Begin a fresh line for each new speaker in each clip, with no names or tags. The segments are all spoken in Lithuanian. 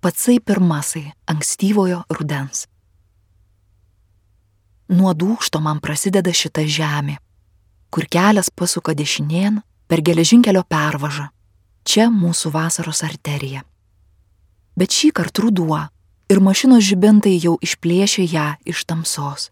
patsai pirmasai ankstyvojo rudens. Nuo dūkšto man prasideda šita žemė, kur kelias pasuka dešinėn per geležinkelio pervažą. Čia mūsų vasaros arterija. Bet šį kartą ruduo ir mašinos žibintai jau išplėšė ją iš tamsos.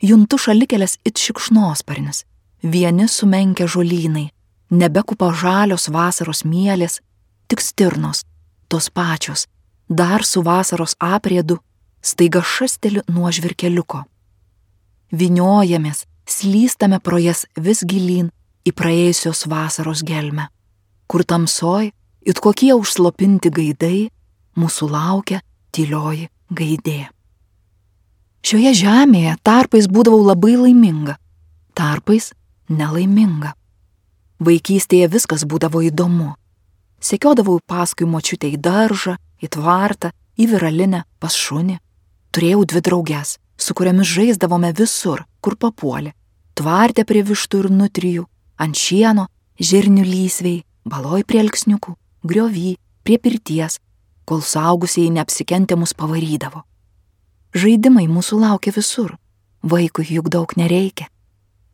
Juntu šalikelės it šikšnosparnis, vieni sumenkę žolynai, nebekupa žalios vasaros mielės, tik stirnos, tos pačios, dar su vasaros apriedu, staiga šasteli nuo žvirkeliuko. Vyniojamės, slystame pro jas vis gilyn į praėjusios vasaros gelmę, kur tamsoj, it kokie užslopinti gaidai, mūsų laukia tylioji gaidė. Šioje žemėje tarpais būdavau labai laiminga, tarpais nelaiminga. Vaikystėje viskas būdavo įdomu. Sekiodavau paskui močiutę į daržą, į tvartą, į viralinę, pas šunį. Turėjau 2 drauges, su kuriamis žaisdavome visur, kur papuolė. Tvarte prie vištų ir nutrijų, ant šieno, žirnių lysvei, baloj prie alksniukų, griovy, prie pirties, kol suaugusieji neapsikentę mus pavarydavo. Žaidimai mūsų laukia visur, vaikui juk daug nereikia.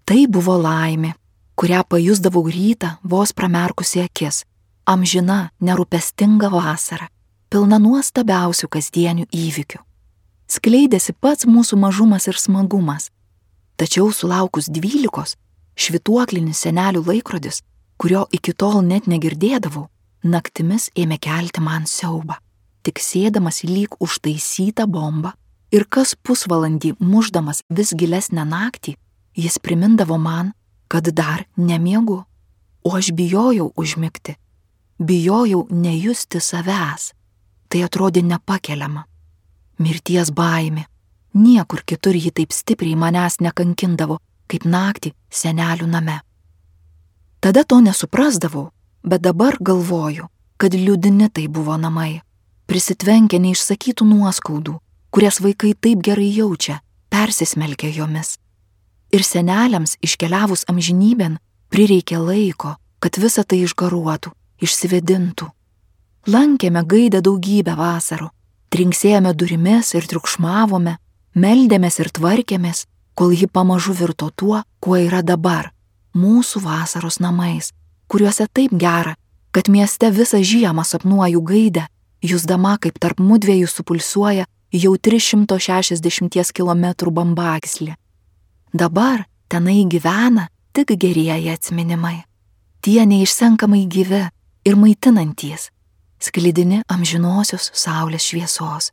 Tai buvo laimė, kurią pajusdavau rytą vos pramerkusi akis, amžina, nerūpestinga vasara, pilna nuostabiausių kasdienių įvykių. Skleidėsi pats mūsų mažumas ir smagumas, tačiau sulaukus 12, švytuoklinis senelių laikrodis, kurio iki tol net negirdėdavau, naktimis ėmė kelti man siaubą, tik sėdamas lyg užtaisytą bombą ir kas pusvalandį mušdamas vis gilesnę naktį, jis primindavo man, kad dar nemiegu, o aš bijojau užmigti, bijojau nejusti savęs, tai atrodė nepakeliama. Mirties baimė, niekur kitur ji taip stipriai manęs nekankindavo, kaip naktį senelių name. Tada to nesuprasdavau, bet dabar galvoju, kad liūdini tai buvo namai, prisitvenkę neišsakytų nuoskaudų, kurias vaikai taip gerai jaučia, persismelkia jomis. Ir seneliams iškeliavus amžinybėn prireikė laiko, kad visa tai išgaruotų, išsivedintų. Lankėme gaidę daugybę vasarų, trinksėjome durimis ir triukšmavome, meldėmės ir tvarkėmės, kol ji pamažu virto tuo, kuo yra dabar, mūsų vasaros namais, kuriuose taip gera, kad mieste visą žiemą sapnuoju gaidę, jusdama kaip tarp mudviejų supulsuoja jau 360 km bambagyslė. Dabar tenai gyvena tik gerieji atsiminimai. Tie neišsenkamai gyvi ir maitinantys, sklidini amžinosios saulės šviesos.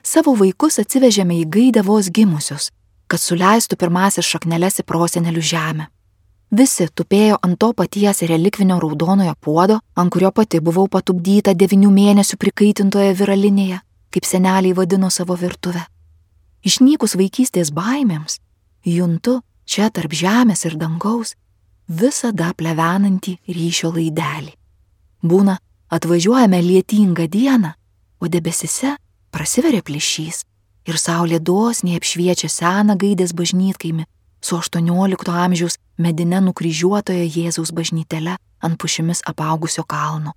Savo vaikus atsivežėme į gaidę vos gimusius, kad suleistų pirmasis šakneles į prosenelių žemę. Visi tupėjo ant to paties relikvinio raudonojo puodo, ant kurio pati buvau patupdyta 9 mėnesių prikaitintoje viralinėje, kaip seneliai vadino savo virtuvę. Išnykus vaikystės baimėms, juntu čia tarp žemės ir dangaus visada plevenantį ryšio laidelį. Būna, atvažiuojame lietingą dieną, o debesise prasiveria plyšys ir saulė dosniai apšviečia seną gaidės bažnytkaimį su 18 amžiaus medine nukryžiuotoje Jėzaus bažnytele ant pušimis apaugusio kalno.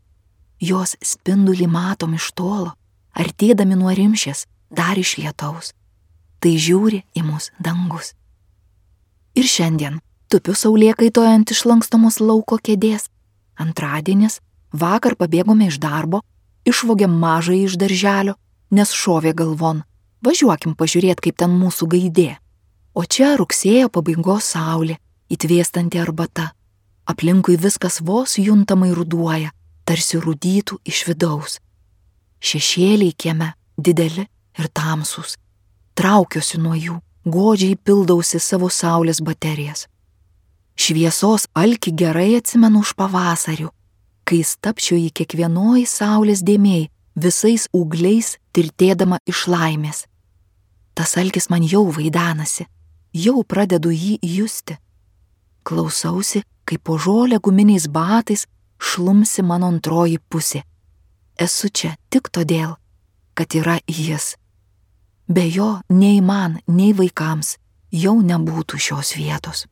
Jos spindulį matom iš tolo, artėdami nuo rimšės, dar iš lietaus. Tai žiūri į mus dangus. Ir šiandien tupiu saulėkaitoje ant išlankstomos lauko kėdės. Antradienis, vakar pabėgome iš darbo, išvogėm mažąjį iš darželio, nes šovė galvon, važiuokim pažiūrėt, kaip ten mūsų gaidė. O čia rugsėjo pabaigos saulė, įtvėstanti arbata. Aplinkui viskas vos juntamai ruduoja, tarsi rudytų iš vidaus. Šešėliai kieme dideli ir tamsūs. Traukiuosi nuo jų, godžiai pildausi savo saulės baterijas. Šviesos alkį gerai atsimenu už pavasarių, kai stapčiau į kiekvienoj saulės dėmėj, visais ūgliais tirtėdama iš laimės. Tas alkis man jau vaidenasi, jau pradedu jį justi. Klausausi, kaip po žolę guminiais batais šlumsi mano antroji pusė. Esu čia tik todėl, kad yra jis. Be jo nei man, nei vaikams jau nebūtų šios vietos.